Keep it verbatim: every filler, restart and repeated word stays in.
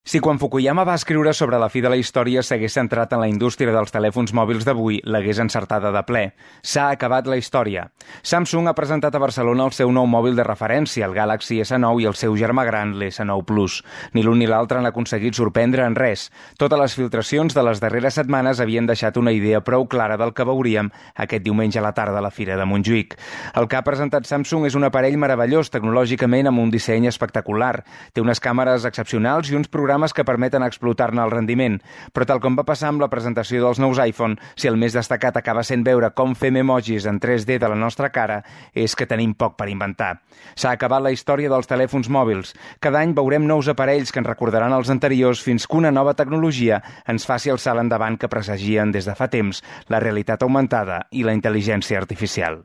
Si quan Fukuyama va escriure sobre la fi de la història s'hagués centrat en la indústria dels telèfons mòbils d'avui, l'hagués encertada de ple. S'ha acabat la història. Samsung ha presentat a Barcelona el seu nou mòbil de referència, el Galaxy essa nou, i el seu germà gran, l'essa nou Plus. Ni l'un ni l'altre han aconseguit sorprendre en res. Totes les filtracions de les darreres setmanes havien deixat una idea prou clara del que veuríem aquest diumenge a la tarda a la Fira de Montjuïc. El que ha presentat Samsung és un aparell meravellós tecnològicament amb un disseny espectacular. Té unes càmeres excepcionals i uns programes que permeten explotar-ne el rendiment. Però tal com va passar amb la presentació dels nous iPhone, si el més destacat acaba sent veure com fem emojis en tres D de la nostra cara, és que tenim poc per inventar. S'ha acabat la història dels telèfons mòbils. Cada any veurem nous aparells que ens recordaran els anteriors fins que una nova tecnologia ens faci el salt endavant que presagien des de fa temps la realitat augmentada i la intel·ligència artificial.